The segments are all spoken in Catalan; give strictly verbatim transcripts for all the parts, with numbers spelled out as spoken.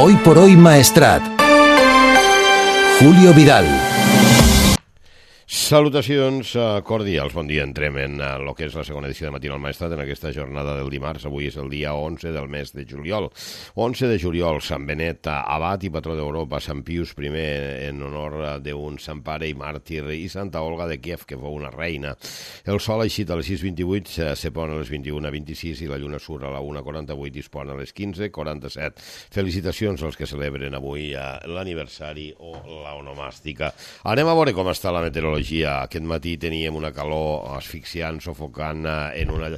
Hoy por hoy Maestrat. Julio Vidal. Salutacions cordials, bon dia. Entrem en el que és la segona edició de Matina al Maestrat en aquesta jornada del dimarts. Avui és el dia onze del mes de juliol. onze de juliol, Sant Benet, abat i patró d'Europa, Sant Pius primer en honor d'un sant pare i màrtir, i Santa Olga de Kiev, que fou una reina. El sol ha eixit a les sis vint-i-vuit, se pon a les vint-i-una vint-i-sis i la lluna surt a la una quaranta-vuit i es pon a les quinze quaranta-set. Felicitacions als que celebren avui l'aniversari o l'onomàstica. Anem a veure com està la meteorologia. Aquest matí teníem una calor asfixiant, sofocant en una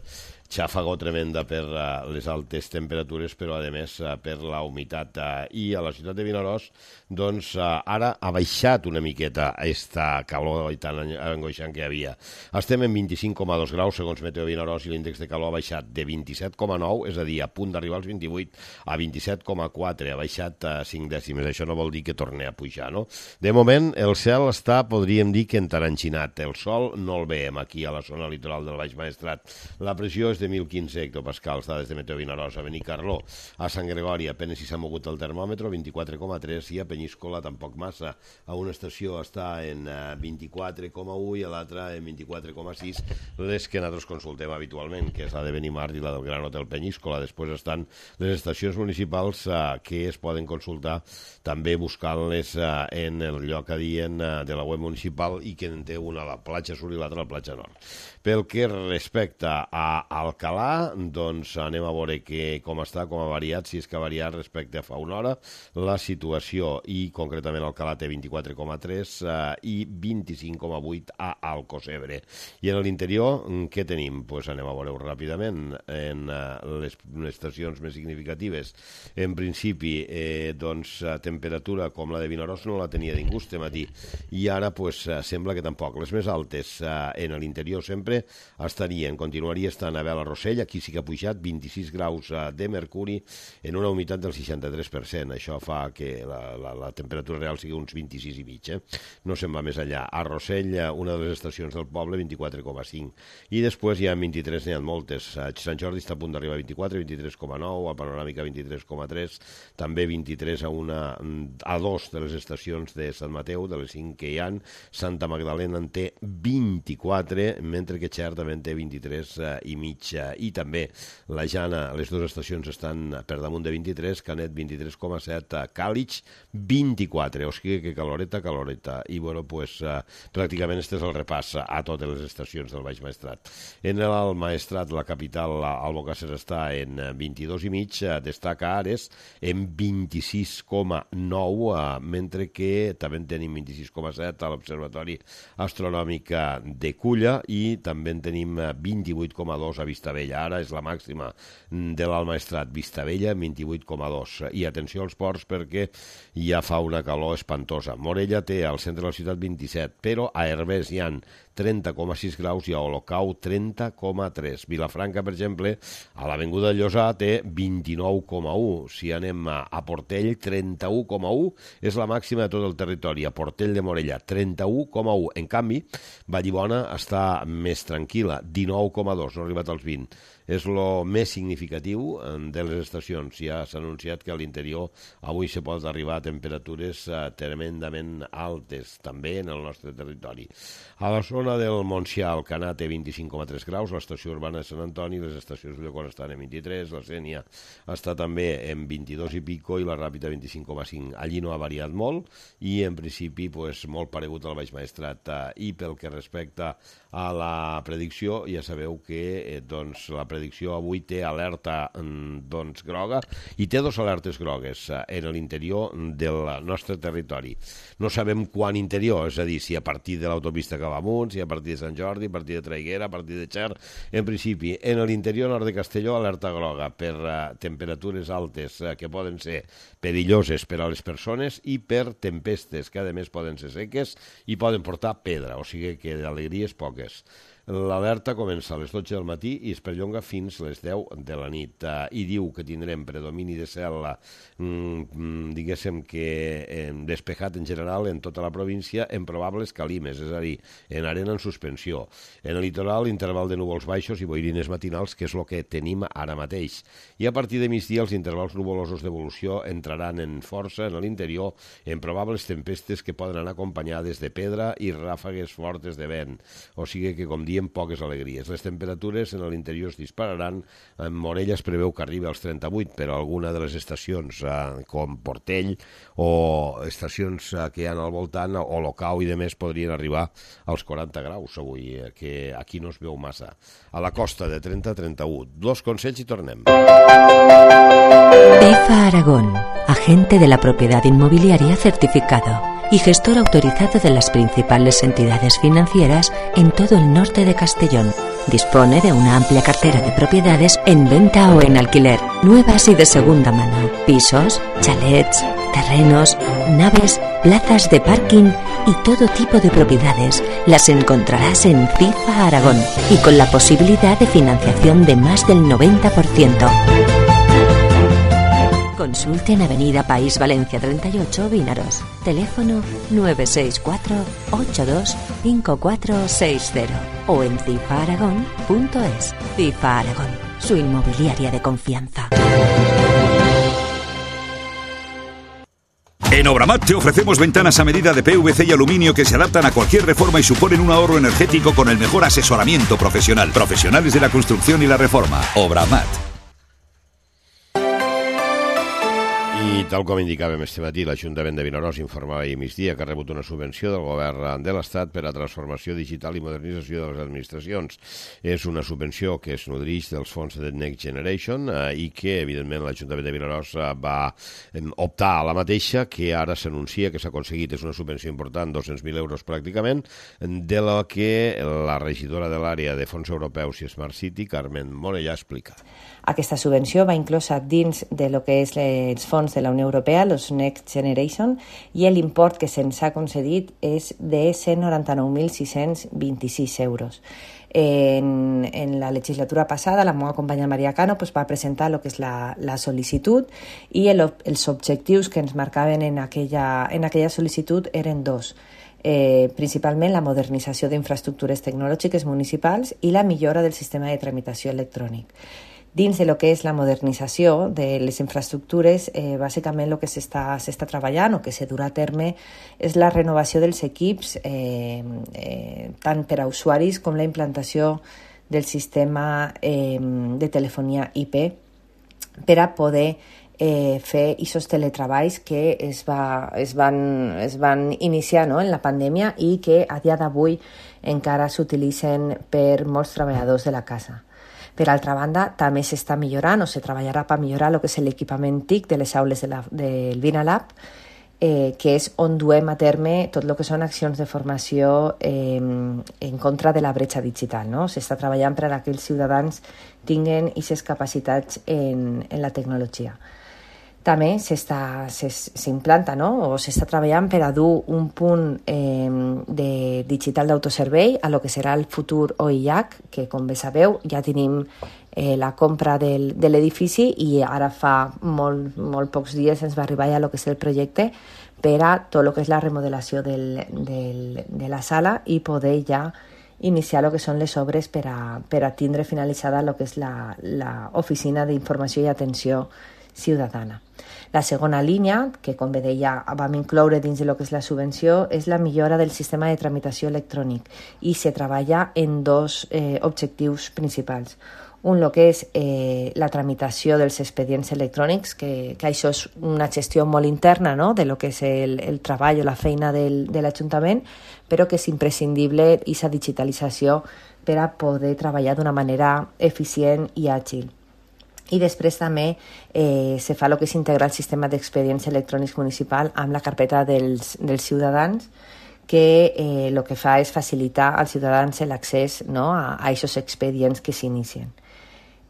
xàfega tremenda per les altes temperatures, però a més per la humitat. I a la ciutat de Vinaròs, doncs ara ha baixat una miqueta aquesta calor tan angoixant que hi havia. Estem en vint-i-cinc coma dos graus segons Meteo Vinaròs i l'índex de calor ha baixat de vint-i-set coma nou, és a dir, a punt d'arribar als vint-i-vuit, a vint-i-set coma quatre, ha baixat cinc dècimes. Això no vol dir que torni a pujar, no? De moment, el cel està, podríem dir que entaranxinat. El sol no el veiem aquí a la zona litoral del Baix Maestrat. La pressió és de mil quinze hectopascals, dades de Meteo Vinaròs. A Benicarló, a Sant Gregori, apenas si s'ha mogut el termòmetre, vint-i-quatre coma tres, i a Penyíscola tampoc massa. A una estació està en vint-i-quatre coma u i a l'altra en vint-i-quatre coma sis, les que nosaltres consultem habitualment, que és la de Benimart i la del Gran Hotel Penyíscola. Després estan les estacions municipals que es poden consultar també buscant-les en el lloc adient de la web municipal, i que en té una a la platja Sur i l'altra a la platja Nord. Pel que respecta a Alcalà, doncs anem a veure que, com està, com ha variat, si és que ha variat respecte a fa una hora, la situació, i concretament Alcalà té vint-i-quatre coma tres eh, i vint-i-cinc coma vuit a Alcocebre. I en l'interior, què tenim? Pues anem a veure-ho ràpidament. En eh, les, les estacions més significatives, en principi, eh, doncs, temperatura com la de Vinaròs no la tenia ningú este matí, i ara pues, sembla que tampoc. Les més altes eh, en l'interior sempre estarien, continuaria estant a Vela Rossell, aquí sí que ha pujat vint-i-sis graus de mercuri en una humitat del seixanta-tres per cent. Això fa que la, la, la temperatura real sigui uns vint-i-sis i mig. Eh? No se'n va més allà. A Rossell, una de les estacions del poble, vint-i-quatre coma cinc. I després hi ha vint-i-tres, n'hi ha moltes. Sant Jordi està a punt d'arribar a vint-i-quatre, vint-i-tres coma nou, a Panoràmica vint-i-tres coma tres, també vint-i-tres a una a dos de les estacions de Sant Mateu, de les cinc que hi ha. Santa Magdalena en té vint-i-quatre, mentre que Xert també en té vint-i-tres i mig, i també la Jana, les dues estacions estan per damunt de vint-i-tres, Canet vint-i-tres coma set, Càlig vint-i-quatre, o sigui que caloreta, caloreta. I bueno, pues pràcticament este és el repàs a totes les estacions del Baix Maestrat. En el Maestrat, la capital, Albocàsser, està en vint-i-dos i mig, destaca Ares en vint-i-sis coma nou, mentre que també en tenim vint-i-sis coma set a l'Observatori Astronòmic de Culla, i també en tenim vint-i-vuit coma dos a Vistabella. Ara és la màxima de l'Alt Maestrat, Vistabella vint-i-vuit coma dos. I atenció als ports perquè ja fa una calor espantosa. Morella té al centre de la ciutat vint-i-set, però a Herbers hi ha trenta coma sis graus i a Olocau trenta coma tres. Vilafranca, per exemple, a l'Avinguda Llosà té vint-i-nou coma u. Si anem a Portell, trenta-u coma u és la màxima de tot el territori. A Portell de Morella, trenta-u coma u. En canvi, Vallibona està més tranquil·la, dinou coma dos, no ha arribat als vint. És el més significatiu de les estacions. Ja s'ha anunciat que a l'interior avui se pot arribar a temperatures tremendament altes, també en el nostre territori. A la zona del Montsià, Alcanar té vint-i-cinc coma tres graus, l'estació urbana de Sant Antoni, les estacions de Ulldecona estan en vint-i-tres, la Sénia està també en vint-i-dos i pico i la Ràpita vint-i-cinc coma cinc. Allí no ha variat molt i en principi pues, molt paregut al Baix Maestrat. I pel que respecta a la predicció, ja sabeu que eh, doncs, la predicció avui té alerta doncs, groga i té dos alertes grogues en l'interior del nostre territori. No sabem quan interior, és a dir, si a partir de l'autopista que va amunt, si a partir de Sant Jordi, a partir de Traiguera, a partir de Xert. En principi, en l'interior nord de Castelló, alerta groga per uh, temperatures altes uh, que poden ser perilloses per a les persones i per tempestes que, a més, poden ser seques i poden portar pedra, o sigui que d'alegries poques. L'alerta comença a les dotze del matí i es perllonga fins a les deu de la nit. Uh, I diu que tindrem predomini de cel, mm, diguéssim que eh, despejat en general en tota la província, en probables calimes, és a dir, en arena en suspensió. En el litoral, interval de núvols baixos i boirines matinals, que és el que tenim ara mateix. I a partir de migdia, els intervals nuvolosos d'evolució entraran en força en l'interior en probables tempestes que poden anar acompanyades de pedra i ràfegues fortes de vent. O sigui que, com diem, poques alegries. Les temperatures en l'interior es dispararan. En Morella es preveu que arribi als trenta-vuit, però alguna de les estacions, eh, com Portell o estacions eh, que hi ha al voltant, o Locau i demés, podrien arribar als quaranta graus avui, eh, que aquí no es veu massa. A la costa de trenta a trenta-u. Dos consells i tornem. EFA Aragón, agente de la propiedad inmobiliaria certificado y gestor autorizado de las principales entidades financieras en todo el norte de Castellón. Dispone de una amplia cartera de propiedades en venta o en alquiler, nuevas y de segunda mano, pisos, chalets, terrenos, naves, plazas de parking y todo tipo de propiedades. Las encontrarás en FIFA Aragón y con la posibilidad de financiación de más del noventa por ciento. Consulte en Avenida País Valencia treinta y ocho, Vinaros. Teléfono nueve seis cuatro, ocho dos, cinco cuatro seis cero o en cifa aragón punto es. FIFA Aragón, su inmobiliaria de confianza. En Obramat te ofrecemos ventanas a medida de P V C y aluminio que se adaptan a cualquier reforma y suponen un ahorro energético con el mejor asesoramiento profesional. Profesionales de la construcción y la reforma. Obramat. I tal com indicàvem este matí, l'Ajuntament de Vinaròs informava ahir migdia que ha rebut una subvenció del govern de l'Estat per a transformació digital i modernització de les administracions. És una subvenció que es nodreix dels fons de Next Generation eh, i que, evidentment, l'Ajuntament de Vinaròs eh, va eh, optar a la mateixa, que ara s'anuncia que s'ha aconseguit. És una subvenció important, dos-cents mil euros pràcticament, de la que la regidora de l'àrea de fons europeus i Smart City, Carmen Morellà, explica. Aquesta subvenció va inclosa dins de lo que és els fons de la Unió Europea, els Next Generation, i l'import que se'ns ha concedit és de cent noranta-nou mil sis-cents vint-i-sis euros. En, en la legislatura passada, la meva companya Maria Cano pues, va presentar el que és la, la sol·licitud i el, els objectius que ens marcaven en aquella, en aquella sol·licitud eren dos. Eh, principalment la modernització d'infraestructures tecnològiques municipals i la millora del sistema de tramitació electrònic. Dins de lo que és la modernització de les infraestructures, eh, bàsicament el que s'està s'està treballant o que se durà a terme és la renovació dels equips, eh, eh, tant per a usuaris com la implantació del sistema eh, de telefonia I P per a poder eh, fer aquests teletreballs que es, va, es, van, es van iniciar, no?, en la pandèmia i que a dia d'avui encara s'utilitzen per molts treballadors de la casa. Per altra banda, també s'està millorant o se treballarà per millorar el que és l'equipament T I C de les aules de la, del Vinalab, eh, que és on duem a terme tot el que són accions de formació eh, en contra de la bretxa digital. No? S'està treballant per a que els ciutadans tinguin aquestes capacitats en, en la tecnologia. També s'implanta, no? O s'està treballant per a dur un punt eh, de digital d'autoservei a lo que serà el futur O I H, que com bé sabeu ja tenim eh, la compra del, de l'edifici i ara fa molt, molt pocs dies ens va arribar ja el que és el projecte per a tot el que és la remodelació del, del, de la sala i poder ja iniciar el que són les obres per a, per a tindre finalitzada el que és l'oficina d'informació i atenció ciutadana. La segona línia, que com bé deia vam incloure dins de lo que és la subvenció, és la millora del sistema de tramitació electrònic i se treballa en dos eh, objectius principals. Un, el que és eh, la tramitació dels expedients electrònics, que, que això és una gestió molt interna, no?, de lo que és el, el treball o la feina del, de l'Ajuntament, però que és imprescindible aquesta digitalització per a poder treballar d'una manera eficient i àgil. I després també eh, se fa el que és integrar el sistema d'expedients electrònics municipal amb la carpeta dels, dels ciutadans, que eh, el que fa és facilitar als ciutadans l'accés, no?, a aquests expedients que s'inicien.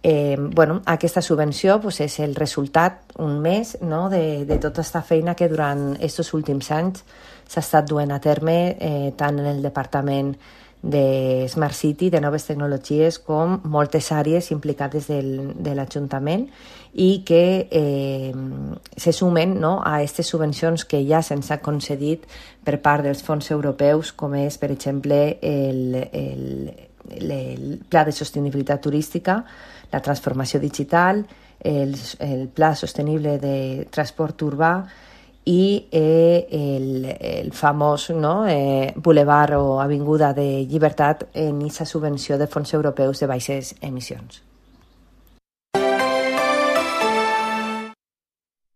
Eh, bueno, aquesta subvenció pues, és el resultat, un mes, no?, de, de tota aquesta feina que durant aquests últims anys s'ha estat duent a terme eh, tant en el Departament de Smart City, de noves tecnologies, com moltes àrees implicades del, de l'Ajuntament i que eh, se sumen, no, a aquestes subvencions que ja se'ns ha concedit per part dels fons europeus, com és, per exemple, el, el, el Pla de Sostenibilitat Turística, la transformació digital, el, el Pla Sostenible de Transport Urbà i eh, el, el famós, no, eh, Boulevard o Avinguda de Llibertat en aquesta subvenció de fons europeus de baixes emissions.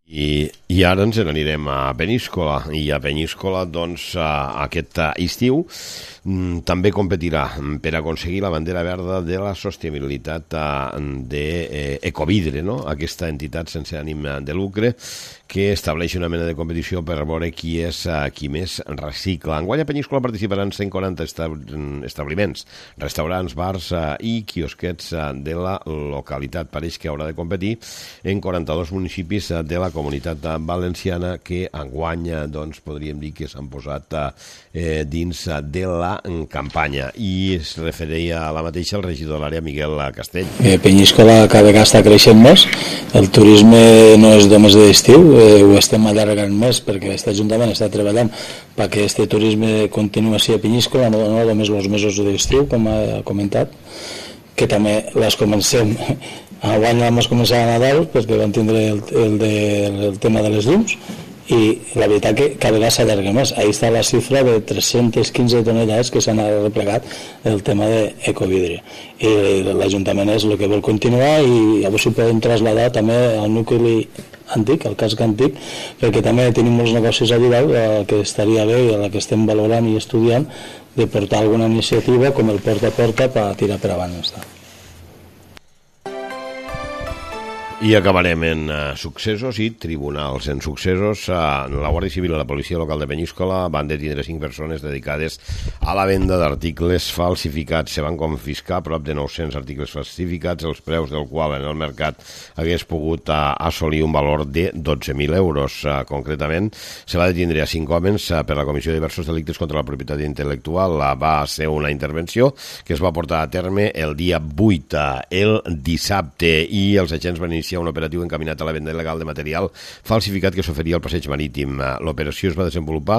I, i ara ens n'anirem a Peníscola, i a Peníscola doncs aquest estiu també competirà per aconseguir la bandera verda de la sostenibilitat d'Ecovidre, no? Aquesta entitat sense ànim de lucre que estableix una mena de competició per veure qui és qui més recicla. Enguany a Peníscola participaran cent quaranta establiments, restaurants, bars i quiosquets de la localitat. Pareix que haurà de competir en quaranta-dos municipis de la comunitat valenciana que enguany doncs, podríem dir que s'han posat eh, dins de la campanya. I es referia a la mateixa el regidor de l'àrea, Miguel Castell. Eh, Peníscola cada vegada està creixent més, el turisme no és només d'estiu, eh, ho estem allargant més perquè aquest Ajuntament està treballant perquè aquest turisme continuï així a Peníscola, no, no només els mesos d'estiu, com ha comentat, que també les comencem. Enguany vam començar a Nadal perquè vam tindre el, el, de, el tema de les llums i la veritat que cada vegada s'allarga més. Ahí està la xifra de tres-centes quinze tonelades que s'han replegat el tema d'Ecovidre. I l'Ajuntament és el que vol continuar i llavors ho podem traslladar també al nucli antic, al casc antic, perquè també tenim molts negocis allà dalt que estaria bé i a la que estem valorant i estudiant de portar alguna iniciativa com el porta a porta per tirar per avant. I acabarem en uh, successos i tribunals. En successos, uh, la Guàrdia Civil i la Policia Local de Peníscola van detenir cinc persones dedicades a la venda d'articles falsificats. Se van confiscar prop de nou-cents articles falsificats, els preus del qual en el mercat hagués pogut uh, assolir un valor de dotze mil euros. Uh, concretament, se va detenir a cinc homes uh, per la comissió de diversos delictes contra la propietat intel·lectual. Uh, va ser una intervenció que es va portar a terme el dia vuit, uh, el dissabte, i els agents van iniciar un operatiu encaminat a la venda il·legal de material falsificat que s'oferia al passeig marítim. L'operació es va desenvolupar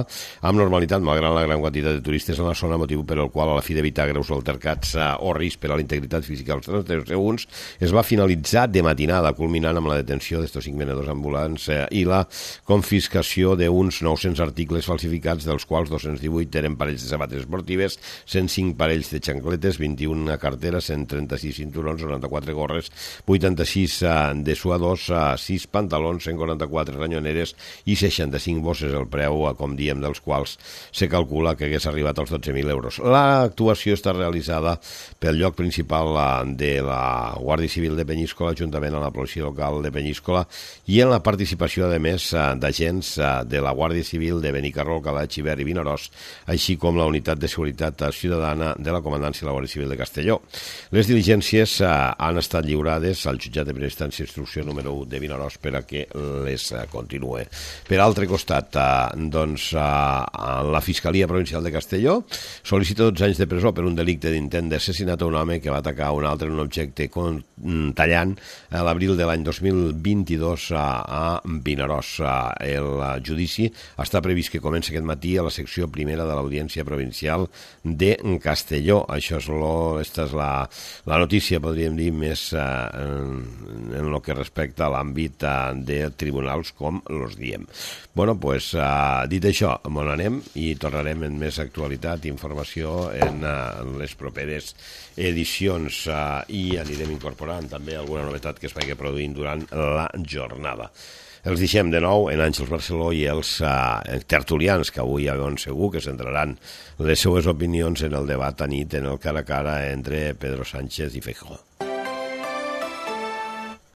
amb normalitat, malgrat la gran quantitat de turistes en la zona, motiu per el qual, a la fi d'evitar greus altercats o risc per a la integritat física dels transeünts, es va finalitzar de matinada, culminant amb la detenció d'estos cinc venedors ambulants i la confiscació d'uns nou-cents articles falsificats, dels quals dos-cents divuit eren parells de sabates esportives, cent cinc parells de xancletes, vint-i-un carteres, cent trenta-sis cinturons, noranta-quatre gorres, vuitanta-sis de suadors, sis pantalons, cent quaranta-quatre ranyoneres i seixanta-cinc bosses, el preu, com diem, dels quals se calcula que hagués arribat als dotze mil euros. L'actuació està realitzada pel lloc principal de la Guàrdia Civil de Peníscola, juntament amb la Policia Local de Peníscola, i en la participació, a més, d'agents de la Guàrdia Civil de Benicarló, Alcalà, Xivert i Vinaròs, així com la Unitat de Seguretat Ciutadana de la Comandància de la Guàrdia Civil de Castelló. Les diligències han estat lliurades al jutjat de primera instància instrucció número u de Vinaròs per a que les continue. Per altre costat, doncs, la Fiscalia Provincial de Castelló sol·licita dotze anys de presó per un delicte d'intent d'assassinat a un home que va atacar un altre en un objecte tallant a l'abril de l'any dos mil vint-i-dos a Vinaròs. El judici està previst que comenci aquest matí a la secció primera de l'Audiència Provincial de Castelló. Això és, lo, esta és la, la notícia, podríem dir, més en el que respecta a l'àmbit de tribunals, com los diem. Bueno, pues, dit això, on anem i tornarem en més actualitat i informació en les properes edicions i anirem incorporant també alguna novetat que es vagi produint durant la jornada. Els deixem de nou en Àngels Barceló i els eh, tertulians, que avui ja ben segur que centraran les seues opinions en el debat a nit, en el cara a cara entre Pedro Sánchez i Feijóo.